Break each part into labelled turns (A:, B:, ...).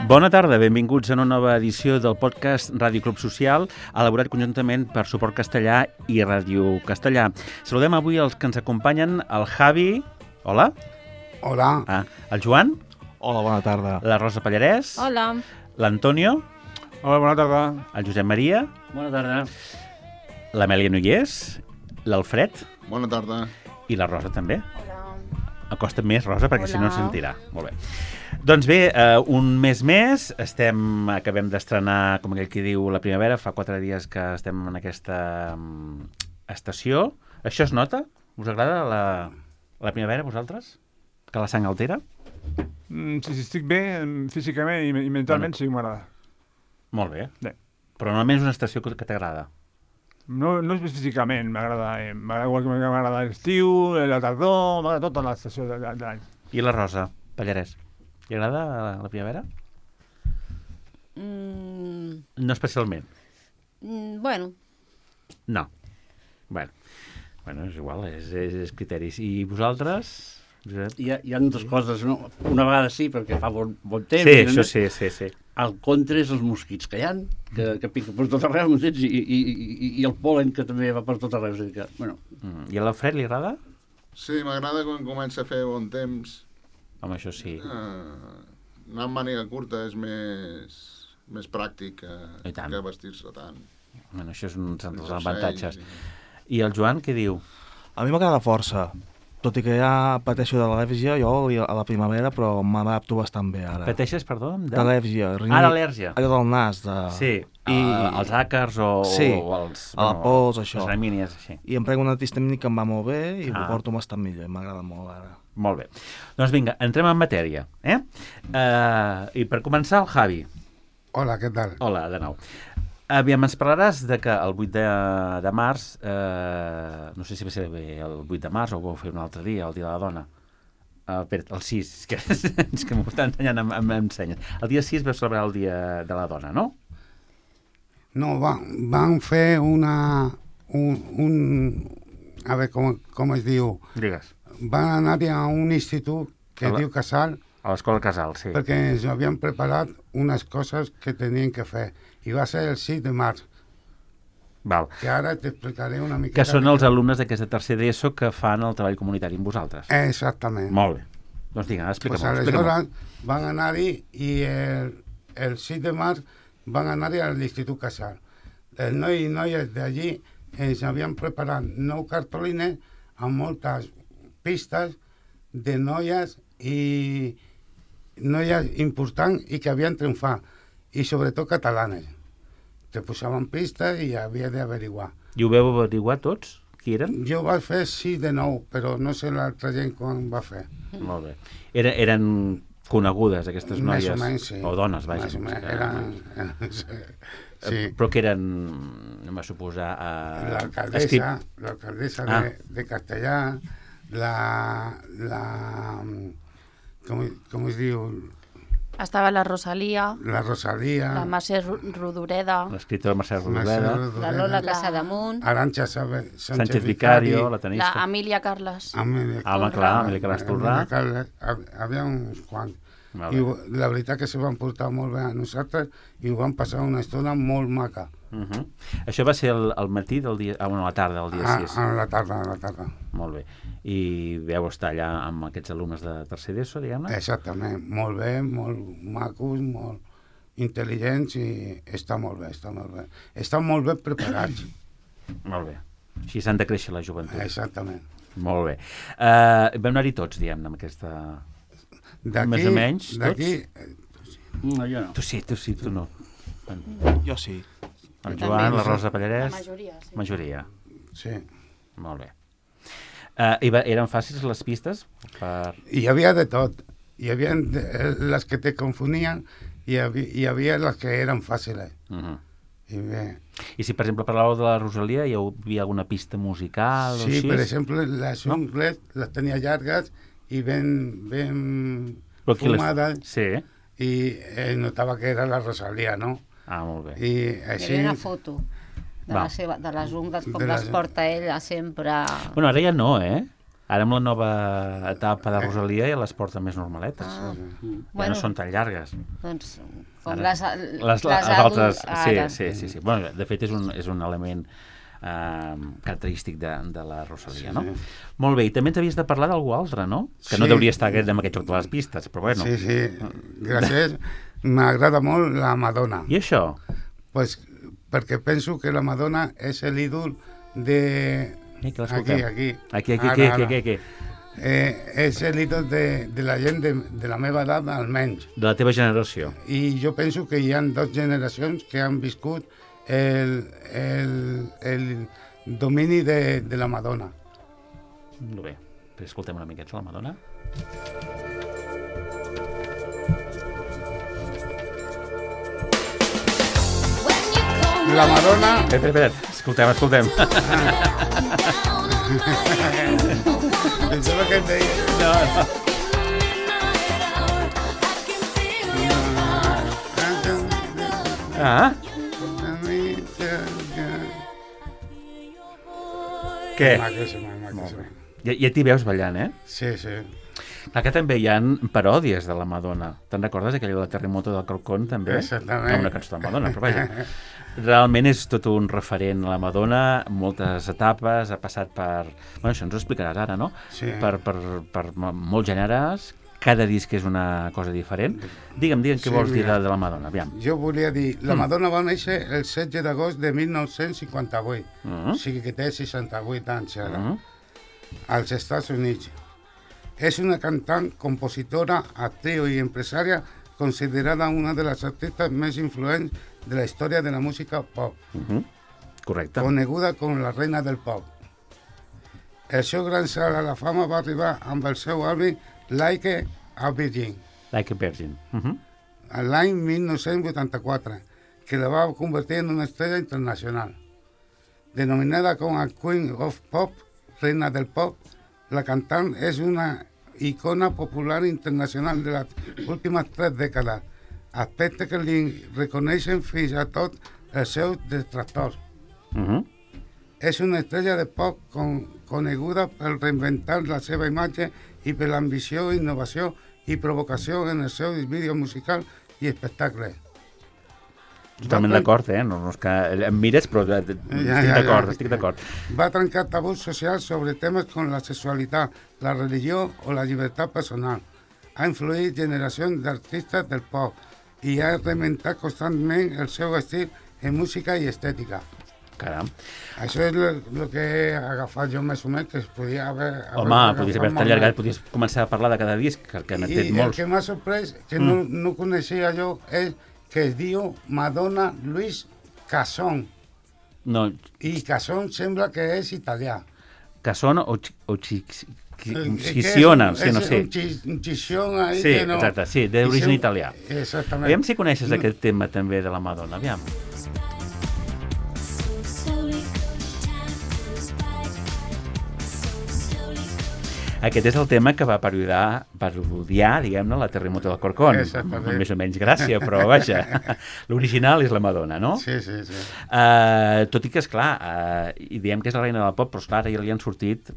A: Bona tarda, benvinguts a una nova edició del podcast Ràdio Club Social, elaborat conjuntament per Suport Castellà i Ràdio Castellà. Saludem avui els que ens acompanyen, el Javi. Hola.
B: Hola.
A: El Joan.
C: Hola, bona tarda.
A: La Rosa Pallarès.
D: Hola.
A: L'Antonio.
C: Hola, bona tarda.
A: El Josep Maria.
E: Bona tarda.
A: L'Amèlia Nogués. L'Alfred.
B: Bona tarda.
A: I la Rosa també.
D: Hola.
A: Acosta't més, Rosa, perquè
D: Hola.
A: si no ens sentirà. Molt bé. Doncs bé, un mes més, acabem d'estrenar, com aquell qui diu, la primavera. Fa 4 dies que estem en aquesta estació. Això es nota? Us agrada la primavera, vosaltres? Que la sang altera?
C: Si estic bé físicament i mentalment, sí que m'agrada.
A: Molt bé.
C: Bé.
A: Però normalment és una estació que t'agrada.
C: No és físicament, m'agrada igual que m'agrada l'estiu, la tardor, m'agrada tota l'estació de l'any.
A: I la Rosa Pallarès? Li agrada la primavera? No especialment.
D: Bueno.
A: No. Bueno, és igual, és criteris. I vosaltres? Josep?
E: Hi ha dues coses, no? Una vegada sí, perquè fa bon temps.
A: Sí, això sí.
E: El contra és els mosquits que hi ha, que piquen per tot arreu, m'entens? I el pol·len que també va per tot arreu. És a dir que, bueno.
A: I a l'Alfred li agrada?
B: Sí, m'agrada quan comença a fer bon temps.
A: Home, això sí.
B: Anar amb màniga curta és més pràctic que vestir-se tant.
A: Bueno, això és un dels avantatges. I el Joan, què diu?
F: A mi m'agrada força. Tot i que ja pateixo de l'al·lèrgia, jo a la primavera, però m'adapto bastant bé ara.
A: Pateixes, perdó?
F: D'al·lèrgia.
A: L'al·lèrgia.
F: Allò del nas.
A: Sí, els àcars o els...
F: a la pols, això.
A: Les gramínies, així.
F: I em prenc un antihistamínic que em va molt bé i ho porto bastant millor, i m'agrada molt ara.
A: Molt bé. Doncs vinga, entrem en matèria. I per començar, el Javi.
B: Hola, què tal?
A: Hola, de nou. Aviam, ens parlaràs de que el 8 de març, no sé si va ser el 8 de març o ho vau fer un altre dia, el dia de la dona. El 6, és que m'ho estan ensenyant amb senyes. El dia 6 vau celebrar el dia de la dona, no?
G: No, van fer a veure com es diu.
A: Digues.
G: Van anar a un institut que diu Casal.
A: A l'escola Casal, sí.
G: Perquè ens havien preparat unes coses que tenien que fer. I va ser el 6 de març.
A: Val.
G: Que ara t'explicaré una miqueta.
A: Que són els alumnes d'aquesta tercer d'ESO que fan el treball comunitari amb vosaltres.
G: Exactament.
A: Molt bé. Doncs vinga, explica-m'ho.
G: Aleshores van anar-hi i el 6 de març van anar-hi a l'Institut Casal. Els nois i noies d'allí ens havien preparat 9 cartolines amb moltes pistes de noies i noies importants i que havien triomfat, i sobretot catalanes. Te posaven pistes i havia d'averiguar.
A: I ho veu averiguar tots? Qui eren?
G: Jo vaig fer 6 de 9, però no sé l'altra gent quan va fer.
A: Molt bé. Eren conegudes, aquestes noies?
G: Més o menys, sí.
A: O dones, vaja.
G: Més o menys, sí.
A: Però que eren, no m'ha suposar...
G: L'alcaldessa de Castellà, com es diu?
D: Estava la Rosalia.
G: La Rosalia.
D: La Mercè Rodoreda.
A: L'escriptora Mercè Rodoreda.
D: La Lola Casademunt.
G: Arantxa
A: Sánchez Vicario, la tenista.
D: La Amília Carles.
A: Amília Carles Tolrà.
G: Havia uns quants. I la veritat que se van portar molt bé a nosaltres i ho van passar una estona molt maca.
A: Això va ser al matí del dia... a la tarda del dia 6.
G: A la tarda.
A: Molt bé. I vau estar allà amb aquests alumnes de tercer d'ESO, diguem-ne?
G: Exactament. Molt bé, molt macos, molt intel·ligents i està molt bé. Estan molt bé preparats.
A: Molt bé. Així s'han de créixer la joventut.
G: Exactament.
A: Molt bé. Vam anar-hi tots, diguem-ne, amb aquesta... Més o menys, tots?
E: No, jo no.
A: Tu sí, tu no.
F: Jo sí.
A: El Joan, la Rosa Pallarès...
D: La majoria, sí.
A: Majoria.
G: Sí.
A: Molt bé. Eren fàcils les pistes?
G: Hi havia de tot. Hi havia les que te confonien i hi havia les que eren fàcils.
A: I si, per exemple, parlàveu de la Rosalia, hi havia alguna pista musical?
G: Sí, per exemple, les ungles les tenia llargues i ben fumades.
A: Sí.
G: I notava que era la Rosalia, no?
A: Ah, molt bé.
G: I així...
D: Hi havia una foto de les ungles, com les porta ella sempre...
A: Bueno, ara ja no, Ara amb la nova etapa de Rosalia ja les porta més normaletes. Ja no són tan llargues.
D: Doncs, com
A: Ara,
D: les
A: altres...
D: ara.
A: Sí. Bueno, de fet, és un element característic de la Rosalia, no? Molt bé, i també ens havies de parlar d'algú altre, no? Que no deuria estar amb aquest joc de les pistes, però bueno.
G: Sí, gràcies. M'agrada molt la Madonna.
A: I això?
G: Pues perquè penso que la Madonna és l'ídol de... Aquí. És l'ídol de la gent de la meva edat, almenys.
A: De la teva generació.
G: I jo penso que hi ha 2 generacions que han viscut el domini de la Madonna.
A: Molt bé. Escoltem una miqueta la Madonna.
G: La Madonna...
A: Espera. Escoltem.
G: Això és el que et deia.
A: No. Ah? Què?
G: Maquíssima.
A: Ja t'hi veus ballant, eh?
G: Sí.
A: Clar que també hi ha paròdies de la Madonna. Te'n recordes aquella de la Terremoto del Corcón, també?
G: Exactament.
A: No, una cançó de Madonna, però vaja. Realment és tot un referent a la Madonna, moltes etapes, ha passat per... Bueno, això ens ho explicaràs ara, no?
G: Sí.
A: Per molts gèneres, cada disc és una cosa diferent. Digue'm què vols dir de la Madonna, aviam.
G: Jo volia dir, la Madonna va néixer el 16 d'agost de 1958, o sigui que té 68 anys ara, als Estats Units. És una cantant, compositora, actriu i empresària considerada una de les artistes més influents de la història de la música pop.
A: Correcte.
G: Coneguda com la reina del pop. El seu gran salt a la fama va arribar amb el seu àlbum Like a Virgin.
A: Like a Virgin.
G: L'any 1984, que la va convertir en una estrella internacional. Denominada com a Queen of Pop, reina del pop, la cantant és una icona popular internacional de les últimes 3 dècades, aspecte que li reconeixen fins a tot els seus detractors. És una estrella de pop coneguda per reinventar la seva imatge i per l'ambició, innovació i provocació en els seus vídeos musicals i espectacles.
A: Totalment d'acord, no és que em mires, però estic d'acord.
G: Va trencar tabús socials sobre temes com la sexualitat, la religió o la llibertat personal. Ha influït generacions d'artistes del pop i ha reinventat constantment el seu estil en música i estètica.
A: Caram.
G: Això és el que he agafat jo més o menys, que es podia haver...
A: Home, podies haver-te allargat, podies començar a parlar de cada disc, que n'ha fet molts.
G: I el que m'ha sorprès, que no coneixia jo, és que es diu Madonna Luis Casson.
A: No.
G: I Casson sembla que és italià.
A: Casson o Ciciona, sí, no sé.
G: Un Cicion ahí
A: sí,
G: que no...
A: Exacte, sí, d'origen italià.
G: Exactament.
A: Aviam si coneixes aquest tema també de la Madonna, aviam. Aquest és el tema que va parodiar, diguem-ne, la Terremoto del Corcón.
G: Exactament.
A: Més o menys gràcia, però vaja, l'original és la Madonna, no?
G: Sí.
A: Tot i que, esclar, i diem que és la reina del pop, però esclar, ara ja li han sortit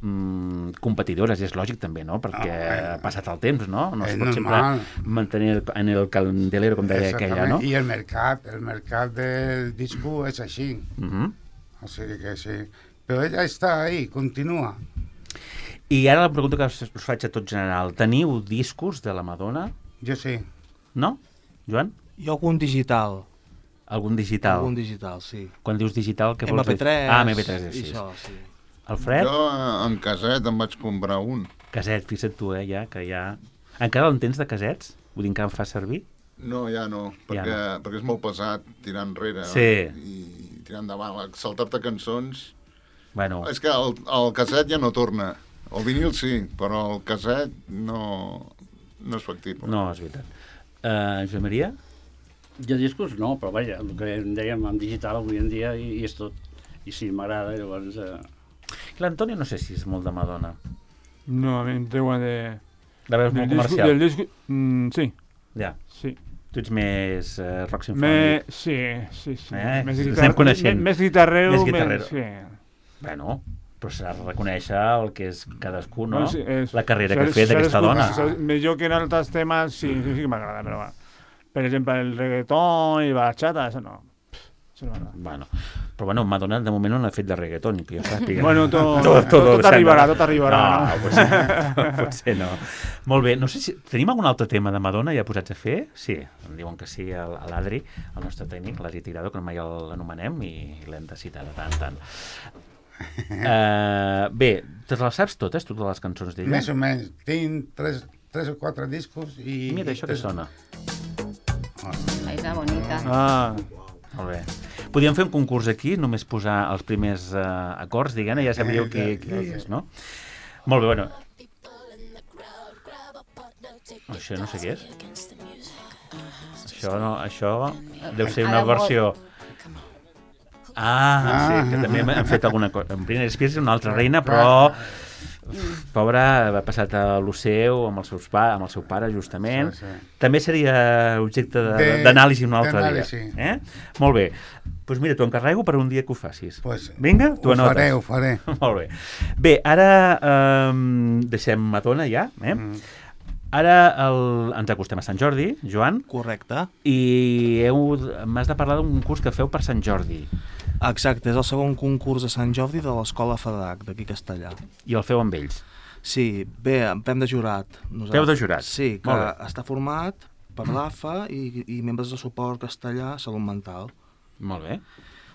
A: competidores, i és lògic també, no? Perquè ha passat el temps, no? No es pot sempre mantenir en el candelero, com deia aquella, no?
G: I el mercat del disco és així. O sigui que sí. Però ella està ahí, continua.
A: I ara la pregunta que us faig a tot general. Teniu discos de la Madonna?
G: Jo sí.
A: No? Joan?
F: Jo algun digital.
A: Algun digital?
F: Algun digital, sí.
A: Quan dius digital, què vols dir?
F: MP3.
A: Ah, MP3, sí.
F: Això, sí.
A: Alfred?
B: Jo en caset em vaig comprar un.
A: Caset, fixa't tu, ja, que ja... Encara en tens de casets? Vull dir, encara em fas servir?
B: No, ja no, perquè és molt pesat tirar enrere i tirar endavant. Saltar-te cançons...
A: Bueno.
B: És que el caset ja no torna. El vinil sí, però el caset no és factible.
A: No, és veritat. Joan Maria?
E: Jo discos no, però vaja, el que dèiem en digital avui en dia i és tot. I sí, m'agrada, llavors...
A: L'Antonio no sé si és molt de Madonna.
C: No, a mi em treuen de...
A: La veus molt comercial.
C: Del disco, sí.
A: Ja.
C: Sí.
A: Tu ets més rock sinfònic.
C: Sí.
A: Ens anem coneixent.
C: Més guitarrero.
A: Sí. Bueno, però s'ha de reconèixer el que és cadascú, no? La carrera que ha fet aquesta
C: escoltar,
A: dona.
C: Millor que en altres temes sí que m'agrada, però va. Per exemple, el reggaeton i bachata, això no. Això no m'agrada.
A: Bueno, però bueno, Madonna de moment no ha fet de reggaeton, que jo sàpiga.
C: Bueno, tot arribarà, tot arribarà.
A: No, potser no. Molt bé, no sé si... Tenim algun altre tema de Madonna ja posats a fer? Sí, em diuen que sí, a l'Adri, el nostre tècnic, l'Adri Tirado, que mai l'anomenem i l'hem de citar de tant en tant. Bé, te les saps totes les cançons d'ella?
G: Més o menys. Tinc 3 o 4 discos i...
A: Mira, això que sona.
D: La Isla Bonita.
A: Molt bé. Podríem fer un concurs aquí, només posar els primers acords, diguem-ne, ja sabríeu qui és, no? Molt bé, bueno. Això no sé què és. Això deu ser una versió... Sí, que també han fet alguna cosa. En Britney Spears és una altra reina, però pobra, va passat a l'Oceu amb el seu pare, justament.
G: Sí.
A: També seria objecte d'anàlisi un altre dia. Molt bé. Doncs mira, t'ho encarrego per un dia que ho facis. Vinga, t'ho anotes.
G: Ho faré.
A: Molt bé. Bé, ara deixem Madonna ja, Ara ens acostem a Sant Jordi, Joan.
F: Correcte.
A: I m'has de parlar d'un concurs que feu per Sant Jordi.
F: Exacte, és el segon concurs de Sant Jordi de l'Escola FEDAC, d'aquí Castellà.
A: I el feu amb ells?
F: Sí, bé, fem de jurat.
A: Feu de jurat?
F: Sí, que està format per l'AFA i membres de suport castellà Salut Mental.
A: Molt bé.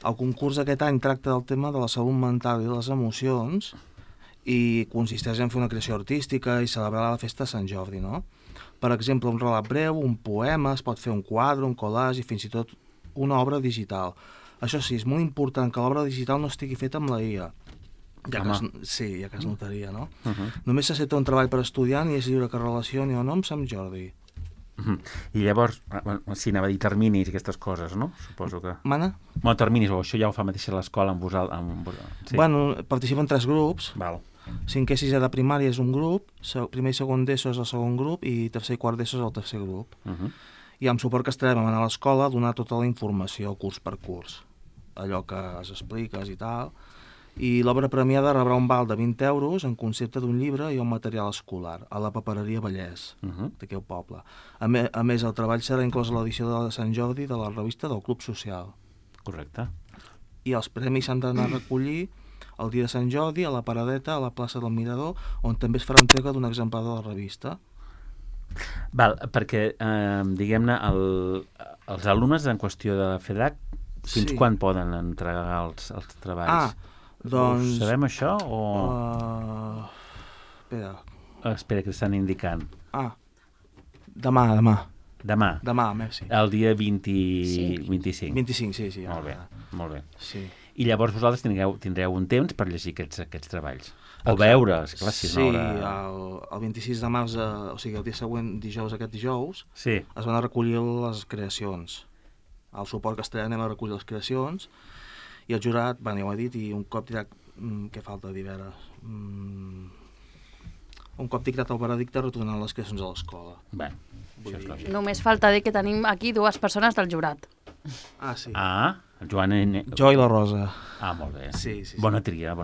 F: El concurs aquest any tracta del tema de la salut mental i les emocions i consisteix en fer una creació artística i celebrar la festa de Sant Jordi, no? Per exemple, un relat breu, un poema, es pot fer un quadre, un collage i fins i tot una obra digital. Això sí, és molt important que l'obra digital no estigui feta amb la IA. Ja que es notaria, no? Només s'accepta un treball per estudiant i és lliure que relacioni o no amb Sant Jordi.
A: I llavors, si anava a dir terminis i aquestes coses, no? Suposo que...
F: Mana?
A: Bueno, terminis, o això ja ho fa mateix a l'escola amb vosaltres. Sí.
F: Bueno, participen 3 grups.
A: Val.
F: 5è i 6è de primària és un grup, primer i segon d'ESO és el segon grup i tercer i quart d'ESO és el tercer grup. I amb suport castellà vam anar a l'escola a donar tota la informació curs per curs, allò que es expliques i tal. I l'obra premiada rebrà un val de 20 euros en concepte d'un llibre i un material escolar a la papereria Vallès, d'aquí al poble. A més, el treball serà inclòs a l'edició de Sant Jordi de la revista del Club Social.
A: Correcte.
F: I els premis s'han d'anar a recollir el dia de Sant Jordi a la Paradeta, a la plaça del Mirador, on també es farà entrega d'un exemplar de la revista.
A: Val, perquè, diguem-ne, els alumnes en qüestió de FEDAC, fins quan poden entregar els treballs?
F: Doncs...
A: Sabem això o...? Espera, que estan indicant.
F: Demà.
A: Demà,
F: sí.
A: El dia 25.
F: 25, sí.
A: Molt bé.
F: Sí.
A: I llavors vosaltres tindreu un temps per llegir aquests treballs. O veure, esclar, si és una hora...
F: el 26 de març, o sigui, el dia següent, aquest dijous,
A: es
F: van a recollir les creacions. Al suport castellà anem a recollir les creacions i el jurat, ja ho he dit, i un cop tirat... Què falta dir, a veure? Un cop dictat el veredicte retornant les creacions a l'escola.
A: Bé, això és lògic.
D: Només falta dir que tenim aquí 2 persones del jurat.
F: Sí.
A: El Joan...
F: Jo i la Rosa.
A: Molt bé.
F: Sí.
A: Bona tria.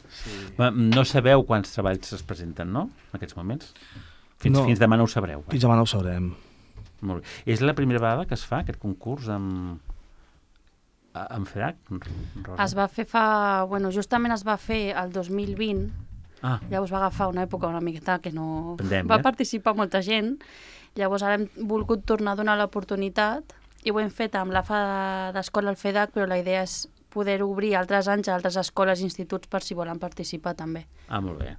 A: Sí. No sabeu quants treballs es presenten, no?, en aquests moments? Fins demà no ho sabreu.
F: Fins demà no ho sabrem.
A: Molt bé. És la primera vegada que es fa aquest concurs amb FEDAC, Rosa?
D: Es va fer justament es va fer el 2020. Llavors va agafar una època una miqueta que no...
A: Pandèmia.
D: Va participar molta gent. Llavors ara hem volgut tornar a donar l'oportunitat i ho hem fet amb l'AFA d'escola al FEDAC, però la idea és poder obrir altres anys a altres escoles i instituts per si volen participar també.
A: Molt bé.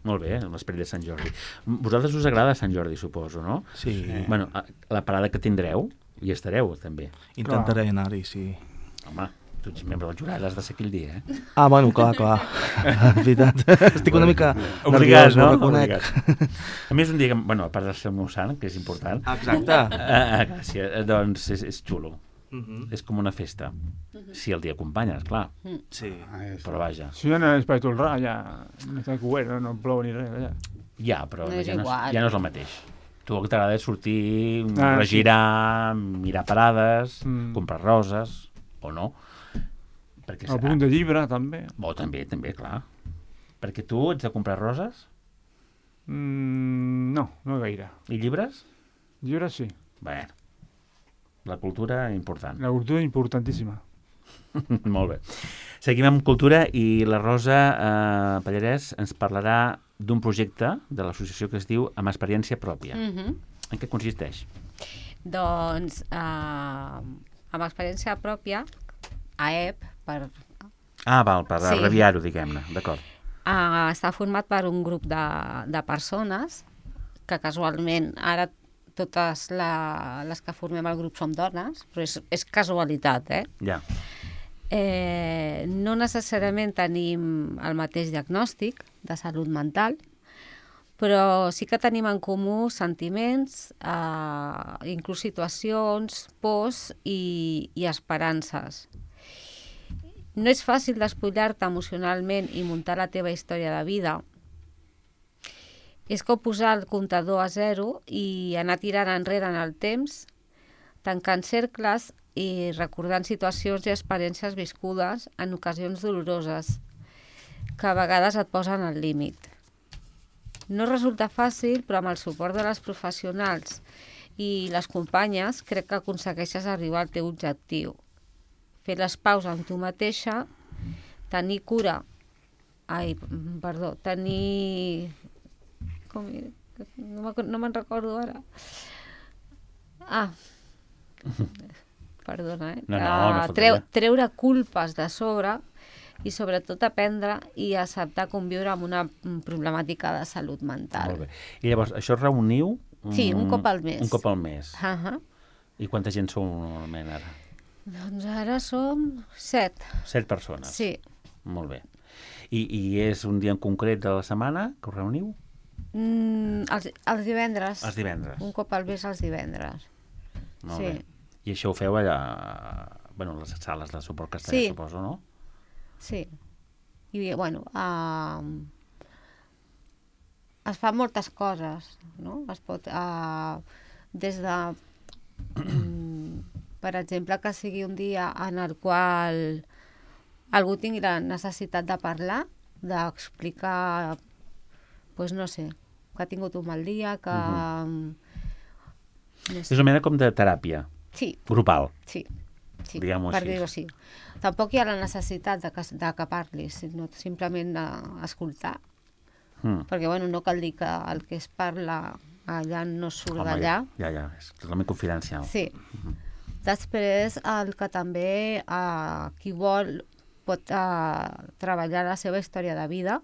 A: Molt bé, l'esperit de Sant Jordi. Vosaltres us agrada Sant Jordi, suposo, no?
F: Sí.
A: Bueno, la parada que tindreu, hi estareu, també.
F: Intentaré anar-hi, sí.
A: Home, tu ets membre del jurat, has de ser aquell dia,
F: Bueno, clar. És veritat. Estic una mica
A: obligat,
F: nerviós, no? Ho reconec.
A: A més, un dia, a part de ser el meu sant, que és important...
F: Exacte.
A: Gràcies. Doncs és xulo. És com una festa. Si el dia acompanyes, clar.
F: Sí.
A: Però vaja.
C: Si ja no és per tolrar, ja no està cobert, no plou ni res.
A: Ja, però ja no és el mateix. Tu el que t'agrada és sortir, regirar, mirar parades, comprar roses, o no.
C: El punt de llibre, també.
A: També, clar. Perquè tu ets de comprar roses?
C: No gaire.
A: I llibres?
C: Llibres sí.
A: Bé, la cultura important.
C: La cultura importantíssima.
A: Molt bé. Seguim amb cultura i la Rosa Pallarès ens parlarà d'un projecte de l'associació que es diu Amb experiència pròpia. En què consisteix?
H: Doncs, amb experiència pròpia, AEP, per
A: abreviar-ho, diguem-ne, d'acord.
H: Està format per un grup de persones que casualment ara totes les que formem el grup som dones, però és casualitat,
A: Ja.
H: No necessàriament tenim el mateix diagnòstic de salut mental, però sí que tenim en comú sentiments, inclús situacions, pors i esperances. No és fàcil despullar-te emocionalment i muntar la teva història de vida. És com posar el comptador a zero i anar tirant enrere en el temps, tancant cercles i recordant situacions i experiències viscudes en ocasions doloroses, que a vegades et posen al límit. No resulta fàcil, però amb el suport de les professionals i les companyes crec que aconsegueixes arribar al teu objectiu. Fer les pauses amb tu mateixa, tenir cura, tenir... No me'n recordo ara. Perdona, treure culpes de sobre i sobretot aprendre i acceptar conviure amb una problemàtica de salut mental.
A: Molt bé. I llavors, això reuniu?
H: Sí, un cop al mes.
A: Un cop al mes. I quanta gent sou normalment ara?
H: Doncs ara som 7.
A: 7 persones?
H: Sí.
A: Molt bé. I és un dia en concret de la setmana que us reuniu?
H: Els divendres.
A: Els divendres.
H: Un cop al mes els divendres.
A: Molt bé. I això ho feu allà, bueno, les sales de suport castellà, suposo, no?
H: Sí. I, bueno, es fan moltes coses, no? Es pot, des de, per exemple, que sigui un dia en el qual algú tingui la necessitat de parlar, d'explicar, doncs no sé, que ha tingut un mal dia, que... No sé.
A: És una mena com de teràpia.
H: Sí.
A: Grupal.
H: Sí.
A: Diguem-ho
H: per
A: així.
H: dir-ho així. Tampoc hi ha la necessitat de que parlis, sinó simplement escoltar. Perquè, bueno, no cal dir que el que es parla allà no surt d'allà.
A: Ja, és totalment confidencial.
H: Sí. Després, el que també qui vol pot treballar la seva història de vida.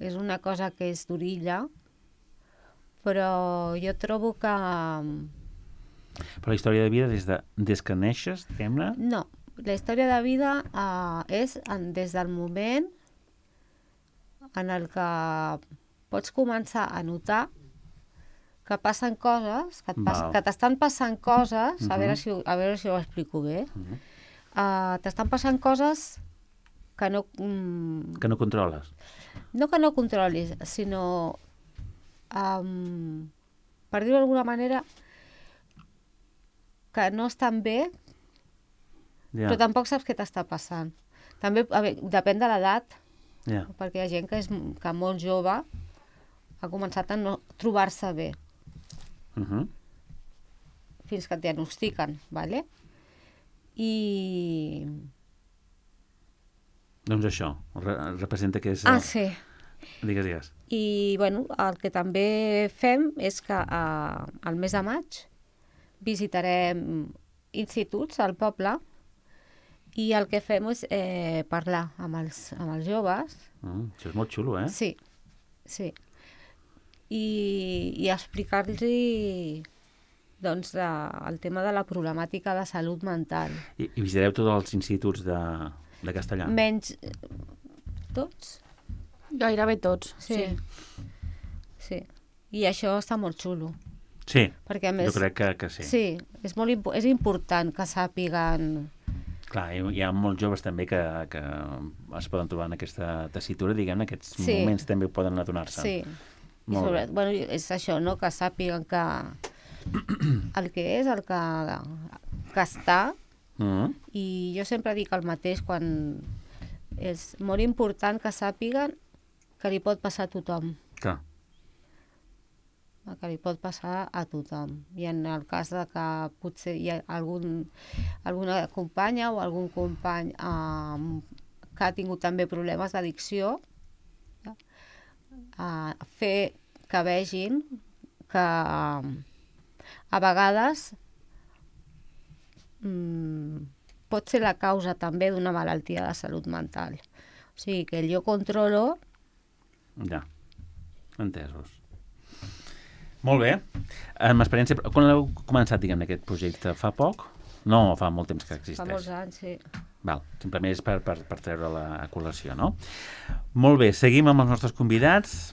H: És una cosa que és d'orilla, però jo trobo que...
A: Però la història de vida des que neixes, diguem-ne?
H: No, la història de vida és des del moment en el que pots començar a notar que passen coses, que t'estan passant coses, a veure si ho explico bé, t'estan passant coses que no...
A: Que no controles.
H: No que no controlis, sinó... per dir-ho d'alguna manera, que no estan bé, però tampoc saps què t'està passant. També depèn de l'edat, perquè hi ha gent que molt jove ha començat a no trobar-se bé. Fins que et diagnostiquen, ¿vale? I...
A: Doncs això, representa que és...
H: sí.
A: Digues.
H: I, bueno, el que també fem és que al mes de maig visitarem instituts al poble i el que fem és parlar amb els joves.
A: Això és molt xulo, eh?
H: Sí. I explicar-los doncs, el tema de la problemàtica de salut mental.
A: I visitareu tots els instituts de castellà?
H: Menys tots.
D: Gairebé tots, sí.
H: I això està molt xulo.
A: Sí,
H: perquè, a més,
A: jo crec que sí.
H: Sí, és important que sàpiguen...
A: Clar, hi ha molts joves també que es poden trobar en aquesta tessitura, diguem-ne, aquests moments també poden adonar-se.
H: Sí, bueno, és això, no?, que sàpiguen que el que és, el que està I jo sempre dic el mateix quan és molt important que sàpiguen que li pot passar a tothom.
A: Clar.
H: Que li pot passar a tothom. I en el cas de que potser hi ha alguna companya o algun company que ha tingut també problemes d'addicció, fer que vegin que a vegades pot ser la causa també d'una malaltia de salut mental. O sigui, que jo controlo...
A: Ja, entesos. Molt bé. Amb experiència... Quan heu començat, diguem, aquest projecte? Fa poc? No, fa molt temps que existeix.
H: Fa molts anys, sí.
A: Val, simplement és per treure la col·lació, no? Molt bé, seguim amb els nostres convidats.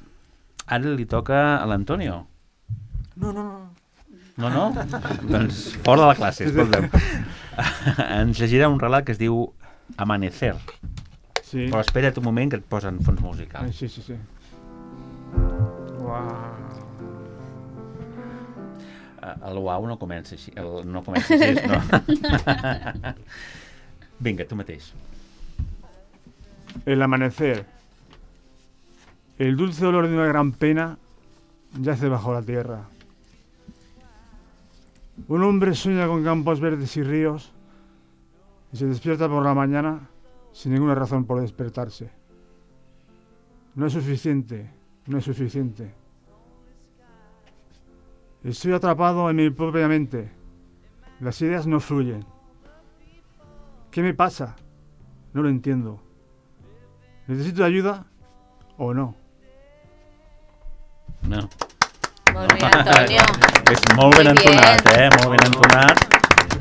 A: Ara li toca a l'Antonio.
F: No.
A: No, no? Doncs fora de la classe, escolta'm. Ens llegirà un relat que es diu Amanecer.
C: Sí.
A: Però espera't un moment que et posen fons musical.
C: Sí. Uau.
A: El uau no comença així. No comença així, no? Vinga, tu mateix.
C: El amanecer. El dulce olor de una gran pena yace bajo la tierra. Un hombre sueña con campos verdes y ríos y se despierta por la mañana sin ninguna razón por despertarse. No es suficiente. Estoy atrapado en mi propia mente. Las ideas no fluyen. ¿Qué me pasa? No lo entiendo. ¿Necesito ayuda o no?
A: No.
H: Molt bé, Antonio.
A: És molt ben entonat, molt ben entonat.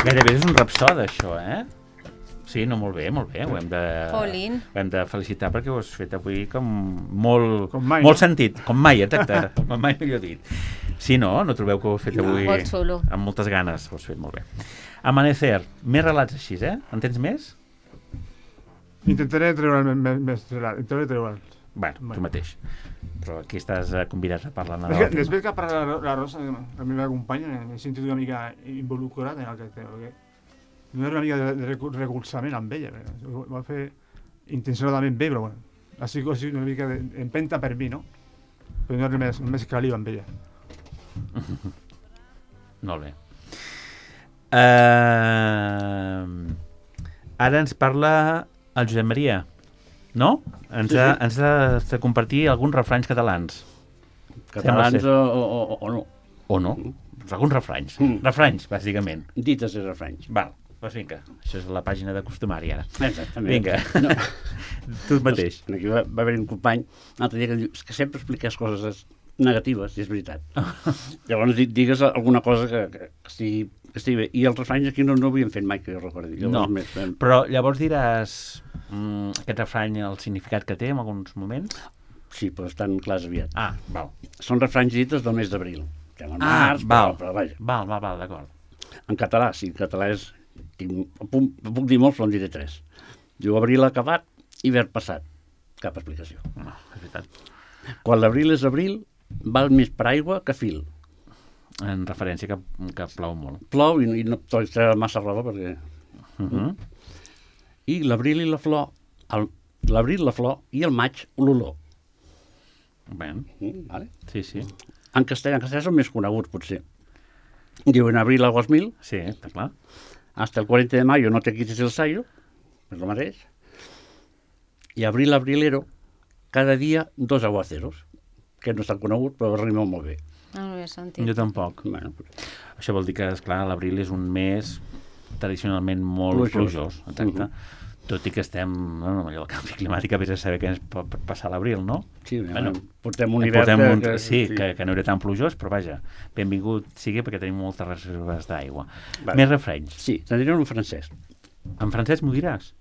A: Gairebé és un rapsode, això, Sí, no, molt bé. Ho hem de felicitar perquè ho has fet avui com molt sentit. Com mai, exacte. Com mai millor dit. Sí, no trobeu que ho has fet avui amb moltes ganes? Ho has fet molt bé. Amanecer, més relats així, En tens més?
C: Intentaré treure més relats.
A: Bueno, tu mateix. Però aquí estàs convidat a parlar.
C: Després que ha parlat la Rosa, la meva companya, m'he sentit una mica involucrat en el que té. No era una mica de recolzament amb ella. Ho va fer intencionadament bé, però bueno. Ha sigut una mica d'empenta per mi, no? Però no res més caliu amb ella.
A: Molt bé. Ara ens parla el Josep Maria, no? Ens ha de compartir alguns refranys catalans.
E: Catalans o no.
A: O no. Alguns refranys. Refranys, bàsicament.
E: Dites i refranys.
A: Val, doncs vinga. Això és la pàgina de costumari, ara.
E: Exactament.
A: Vinga. No. Tu mateix.
E: Aquí va haver un company l'altre dia que diu que sempre expliques coses negatives, i és veritat. Llavors digues alguna cosa que estigui bé. I els refranys aquí no ho havíem fet mai, que jo recordi.
A: No, però llavors diràs aquest refrany, el significat que té en alguns moments?
E: Sí, però estan clars aviat.
A: Val.
E: Són refranys dites del mes d'abril. Però vaja.
A: Val, d'acord.
E: En català, sí, en català és... Puc dir molts, però en diré 3. Diu, abril acabat, hivern passat. Cap explicació.
A: No, és veritat.
E: Quan l'abril és abril, val més per aigua que fil.
A: En referència que plou molt.
E: Plou i no pots treure massa roba perquè... I l'abril i la flor, l'abril la flor i el maig l'olor.
A: Bé.
E: Vale?
A: Sí.
E: En castellà són més coneguts, potser. Diu, en abril aguas mil.
A: Sí, està clar.
E: Hasta el 40 de mayo no te quites el sayo. És el mateix. I abril abrilero, cada dia 2 aguaceros. Que no és tan conegut, però rima molt bé.
H: No ho he sentit.
A: Jo tampoc.
E: Bueno,
A: això vol dir que, esclar, l'abril és un mes tradicionalment molt plujós. Exacte. Tot i que estem en allò del canvi climàtic, a a saber què ens pot passar a l'abril, no?
E: Sí, portem un hivern
A: que no era tan plujós, però vaja, benvingut sigui perquè tenim moltes reserves d'aigua.
E: Vale.
A: Més refranys.
E: Sí, te'n diré en francès.
A: En francès m'ho diràs?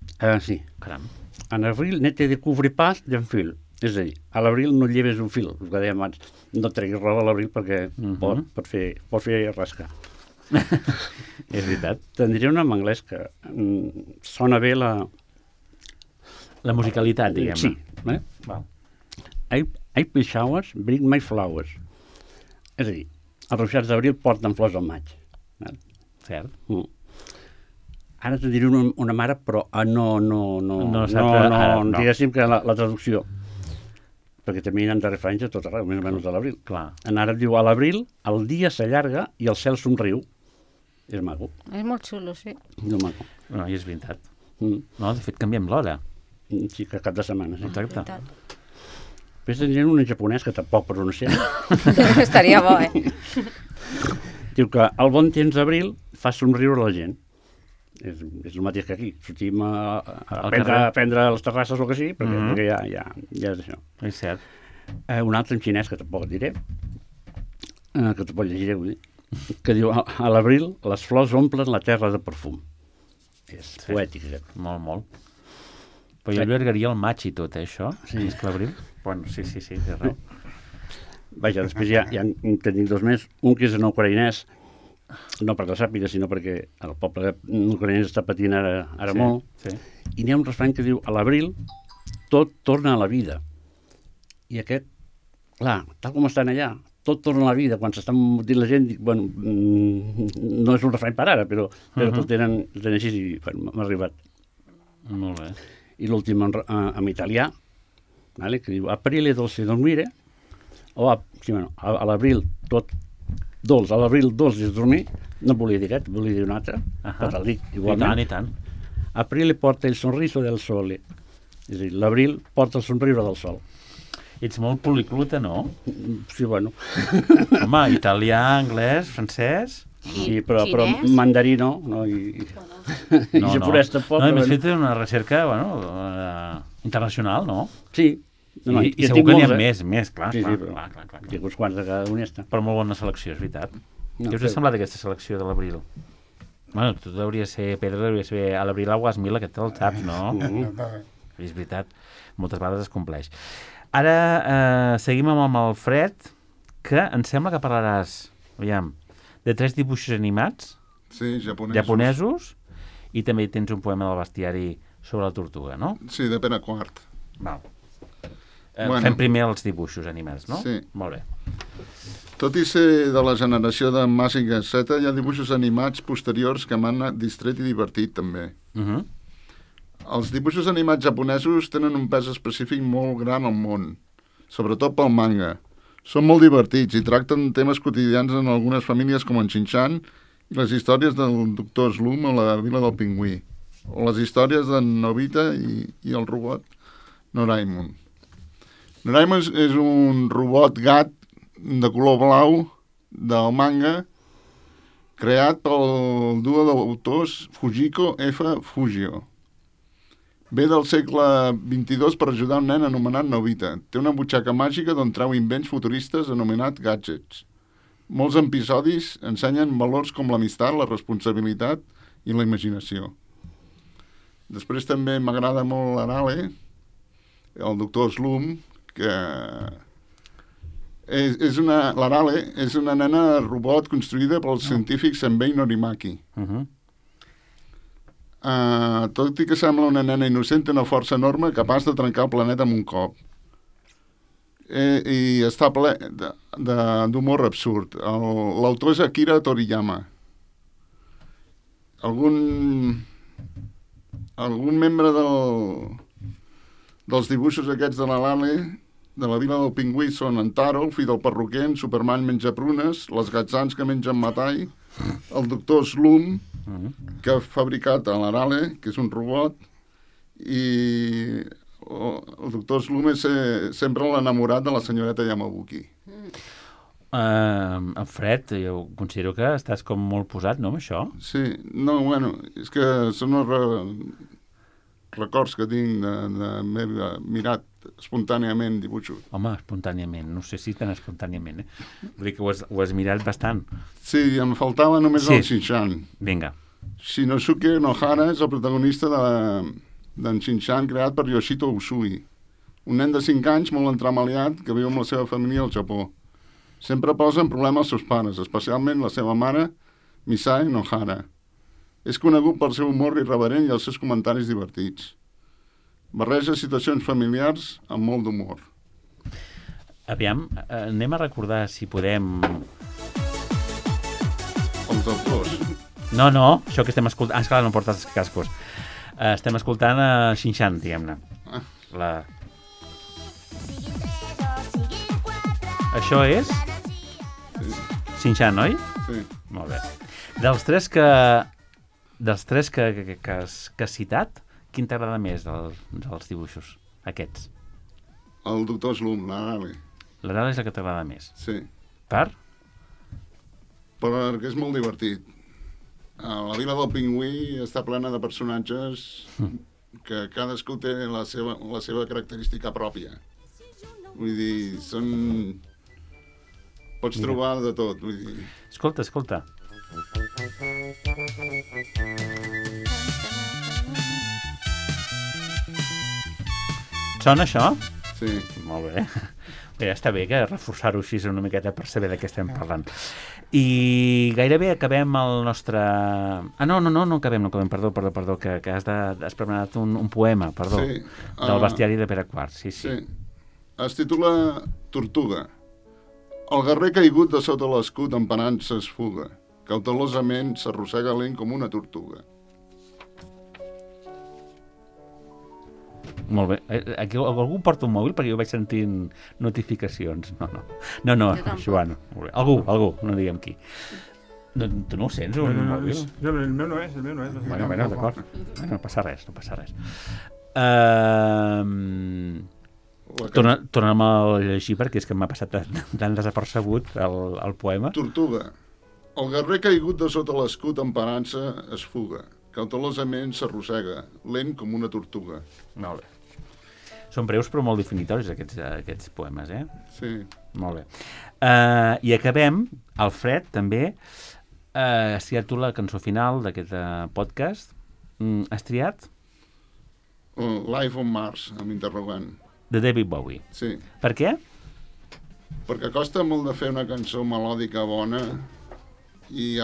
E: Sí.
A: Caram.
E: En abril ne te découvre pas d'un fil. És a dir, a l'abril no lleves un fil, el que dèiem abans. No treguis roba a l'abril perquè pot fer rascar.
A: És veritat.
E: Te'n diré una en anglès que sona bé la
A: musicalitat, diguem-ne.
E: Sí. Val. April showers bring my flowers. És a dir, els ruixats d'abril porten flors al maig.
A: Cert.
E: Ara te diré una mare, però no, diguéssim que la traducció, perquè també hi ha de referència a tot arreu, més o menys a l'abril. En àrab diu, a l'abril el dia s'allarga i el cel somriu. És maco.
H: És molt xulo, sí.
E: És maco.
A: No, i és veritat. No, de fet, canviem l'hora.
E: Sí, que cap de setmana, sí.
A: Exacte.
E: Després tenien un en japonès que tampoc pronunciar.
H: Estaria bo,
E: Diu que el bon temps d'abril fa somriure la gent. És el mateix que aquí. Sortim a prendre les terrasses o que sigui, perquè ja és això.
A: És cert.
E: Un altre en xinès, que tampoc et diré, que tampoc llegiré, vull dir, que diu, a l'abril les flors omplen la terra de perfum. És poètic, aquest.
A: Molt, molt. Però jo allargaria el maig i tot, això?
E: Sí.
A: És que l'abril? Bueno, sí, té raó.
E: Vaja, després ja en tenim dos més. Un que és en ucraïnès, no perquè sàpiga, sinó perquè el poble ucraïnès està patint ara molt.
A: Sí.
E: I n'hi ha un refrany que diu, a l'abril tot torna a la vida. I aquest, clar, tal com estan allà, tot torna a la vida. Quan s'estan dient la gent, dic, bueno, no és un refrany per ara, però el tenen així i m'ha arribat.
A: Molt bé.
E: I l'últim en italià, vale, que diu, aprile dolce dormire, o a l'abril tot dolç, a l'abril dolç és dormir, no volia dir aquest, volia dir un altre, però te'l dic igualment.
A: I tant.
E: Aprile porta el sonriso del sole, és a dir, l'abril porta el somriure del sol.
A: Ets molt policlota, no?
E: Sí, bueno.
A: Home, italià, anglès, francès...
E: Sí, però mandarí no, i japonès tampoc.
A: No, m'has fet una recerca, internacional, no?
E: Sí.
A: I segur que n'hi ha més, clar.
E: Sí, però hi ha uns quants de cada honesta.
A: Però molt bona selecció, és veritat. Què us ha semblat aquesta selecció de l'abril? Bueno, tot hauria de ser, Pedro, hauria de ser a l'abril aguas mil, aquest el saps, no? És veritat, moltes vegades es compleix. Ara seguim amb el Fred, que em sembla que parlaràs, aviam, de 3 dibuixos animats,
B: sí,
A: japonesos, i també tens un poema del bestiari sobre la tortuga, no?
B: Sí, de Pere Quart.
A: Val. Fem primer els dibuixos animats, no?
B: Sí.
A: Molt bé.
B: Tot i ser de la generació de Mazinger Z, hi ha dibuixos animats posteriors que m'han distret i divertit, també. Els dibuixos animats japonesos tenen un pes específic molt gran al món, sobretot pel manga. Són molt divertits i tracten temes quotidians en algunes famílies com en Shin-chan i les històries del Dr. Slump o la Vila del Pingüí, o les històries d'en Nobita i el robot Doraemon. Doraemon és un robot gat de color blau del manga creat pel duo d'autors Fujiko F. Fujio. Ve del segle XXII per ajudar un nen anomenat Nobita. Té una butxaca màgica d'on treu invents futuristes anomenat gadgets. Molts episodis ensenyen valors com l'amistat, la responsabilitat i la imaginació. Després també m'agrada molt l'Arale, el Dr. Slump, que l'Arale és una nena robot construïda pels científics Senbei Norimaki. Tot i que sembla una nena innocent, té una força enorme capaç de trencar el planeta amb un cop. I està ple d'humor absurd. L'autor és Akira Toriyama. Algun membre dels dibuixos aquests de l'Arale, de la Vila del Pingüí, són en Taro, el fill del perruquer, en Superman menja prunes, les gatzans que mengen matall, el Dr. Slump, que ha fabricat a l'Arale, que és un robot, i el Dr. Slump és sempre l'enamorat de la senyoreta Yamabuki.
A: Fred, jo considero que estàs com molt posat, no, amb això?
B: Sí, no, bueno, és que són records que tinc d'haver mirat espontàniament dibuixos.
A: Home, espontàniament, no sé si tan espontàniament, Vull dir que ho has mirat bastant.
B: Sí, em faltava només el Shin-chan.
A: Vinga.
B: Shinosuke Nohara és el protagonista d'en Shin-chan creat per Yoshito Usui, un nen de 5 anys molt entramaliat que viu amb la seva família al Japó. Sempre posa en problema els seus pares, especialment la seva mare, Misae Nohara. És conegut pel seu humor irreverent i els seus comentaris divertits. Barreja situacions familiars amb molt d'humor.
A: Aviam, anem a recordar, si podem...
B: Els autors.
A: No, això que estem escoltant... Esclar, no portes els cascos. Estem escoltant Xinxan, diguem-ne. Això és... Xinxan, oi?
B: Sí.
A: Molt bé. Dels tres que has citat, quin t'agrada més dels dibuixos, aquests?
B: El doctor Slum, l'Arale.
A: L'Arale és el que t'agrada més.
B: Sí.
A: Per?
B: Perquè és molt divertit. La Vila del Pingüí està plena de personatges que cadascú té la seva característica pròpia. Vull dir, pots trobar de tot. Vull dir...
A: Escolta. Sona això?
B: Sí.
A: Molt bé. Bé, està bé que reforçar-ho així una miqueta per saber de què estem parlant. I gairebé acabem el nostre... No acabem, perdó, que has preparat un poema, perdó,
B: sí.
A: Del bestiari de Pere IV. Sí.
B: Es titula Tortuga. El guerrer caigut de sota l'escut empenant-se es fuga. Cautelosament s'arrossega lent com una tortuga.
A: Molt bé. Aquí algú porta un mòbil perquè jo vaig sentint notificacions. No, Joan. Algú, no diguem qui. Tu no ho sents, un mòbil?
C: El meu no és.
A: Bueno, d'acord. No passa res. Torna'm a llegir perquè és que m'ha passat tan desapercebut el poema.
B: Tortuga. El guerrer caigut de sota l'escut emparant-se es fuga. Cautelosament s'arrossega, lent com una tortuga.
A: Molt bé. Són breus però molt definitoris aquests poemes, eh?
B: Sí.
A: Molt bé. I acabem, Alfred, també, has triat tu la cançó final d'aquest podcast. Has triat?
B: Life on Mars, amb interrogant.
A: De David Bowie.
B: Sí.
A: Per què?
B: Perquè costa molt de fer una cançó melòdica bona i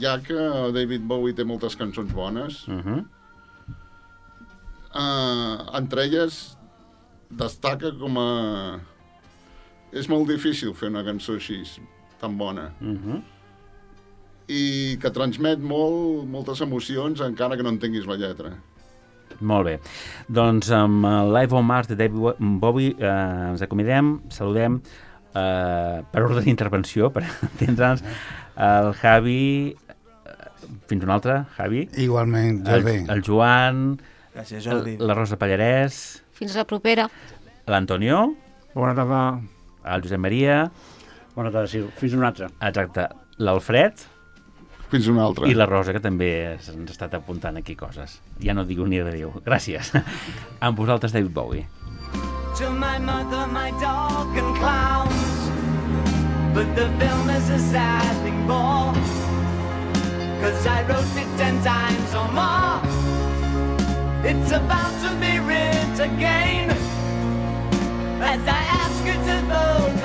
B: ja que David Bowie té moltes cançons bones, entre elles destaca com a... És molt difícil fer una cançó així, tan bona. I que transmet moltes emocions encara que no entenguis la lletra.
A: Molt bé. Doncs amb Live on Mars de David Bowie ens acomidem, saludem per ordre d'intervenció, per entendre'ns, el Javi, fins un altre, Javi.
G: Igualment, Jordi.
A: El Joan,
F: gràcies, Jordi.
A: La Rosa Pallarès.
H: Fins la propera.
A: L'Antonio.
C: Bona tarda.
A: El Josep Maria.
E: Bona tarda, sí. Fins un altre.
A: Exacte. L'Alfred.
B: Fins una altra.
A: I la Rosa, que també ens ha estat apuntant aquí coses. Ja no dic ni adéu. Gràcies. Amb vosaltres, David Bowie.
I: To my mother, my dog and clowns, but the film is a sad thing more, 'cause I wrote it 10 times or more. It's about to be writ again, as I ask you to vote